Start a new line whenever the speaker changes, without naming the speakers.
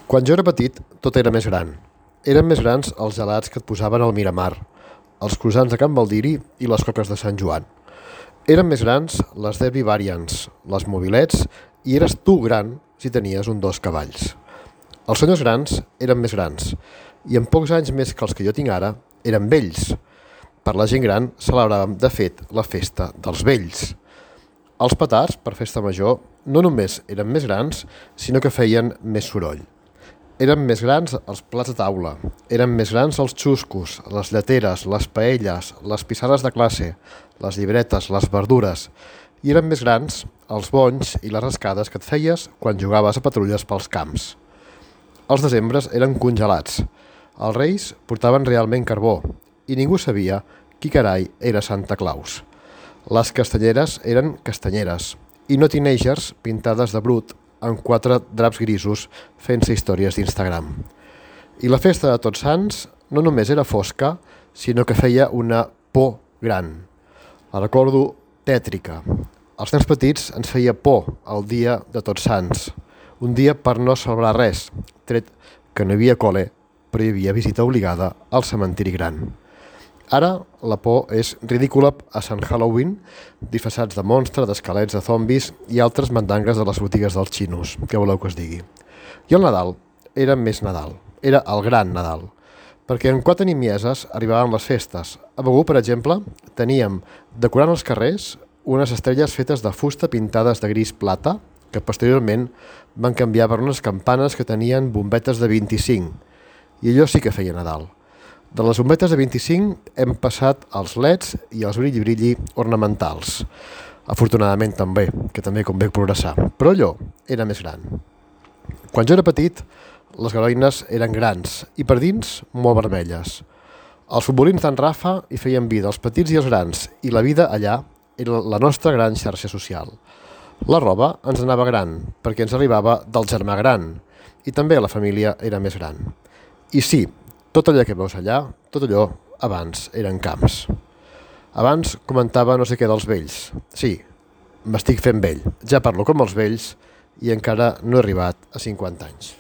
Quan jo era petit, tot era més gran. Eren més grans els gelats que et posaven al Miramar, els croissants de Can Baldiri i les coques de Sant Joan. Eren més grans les Derby Variants, les mobilets, i eres tu gran si tenies un 2 cavalls. Els senyors grans eren més grans, i en pocs anys més que els que jo tinc ara, eren vells. Per la gent gran celebràvem, de fet, la festa dels vells. Els petards, per festa major, no només eren més grans, sinó que feien més soroll. Eren més grans els plats de taula, eren més grans els xuscos, les lleteres, les paelles, les pissarres de classe, les llibretes, les verdures, i eren més grans els bonys i les rascades que et feies quan jugaves a patrulles pels camps. Els desembres eren congelats, els reis portaven realment carbó, i ningú sabia qui carai era Santa Claus. Les castanyeres eren castanyeres, i no teenagers pintades de brut amb 4 draps grisos fent-se històries d'Instagram. I la festa de Tots Sants no només era fosca, sinó que feia una por gran. La recordo tètrica. Als nens petits ens feia por el dia de Tots Sants, un dia per no celebrar res, tret que no hi havia col·le, però hi havia visita obligada al cementiri gran. Ara la por és ridícula a Sant Halloween, disfressats de monstre, d'esquelets, de zombis i altres mandangues de les botigues dels xinos, que voleu que us digui. I el Nadal era més Nadal, era el gran Nadal, perquè en 4 nimieses arribaven les festes. A Begur, per exemple, teníem, decorant els carrers, unes estrelles fetes de fusta pintades de gris plata, que posteriorment van canviar per unes campanes que tenien bombetes de 25, i allò sí que feia Nadal. De les bombetes de 25 hem passat als leds i als brilli-brilli ornamentals. Afortunadament també, que també convé progressar. Però allò era més gran. Quan jo era petit, les garoines eren grans i per dins molt vermelles. Els futbolins d'en Rafa hi feien vida, els petits i els grans, i la vida allà era la nostra gran xarxa social. La roba ens anava gran, perquè ens arribava del germà gran, i també la família era més gran. I sí, tot allò que veus allà, tot allò, abans eren camps. Abans comentava no sé què dels vells. Sí, m'estic fent vell. Ja parlo com els vells i encara no he arribat a 50 anys.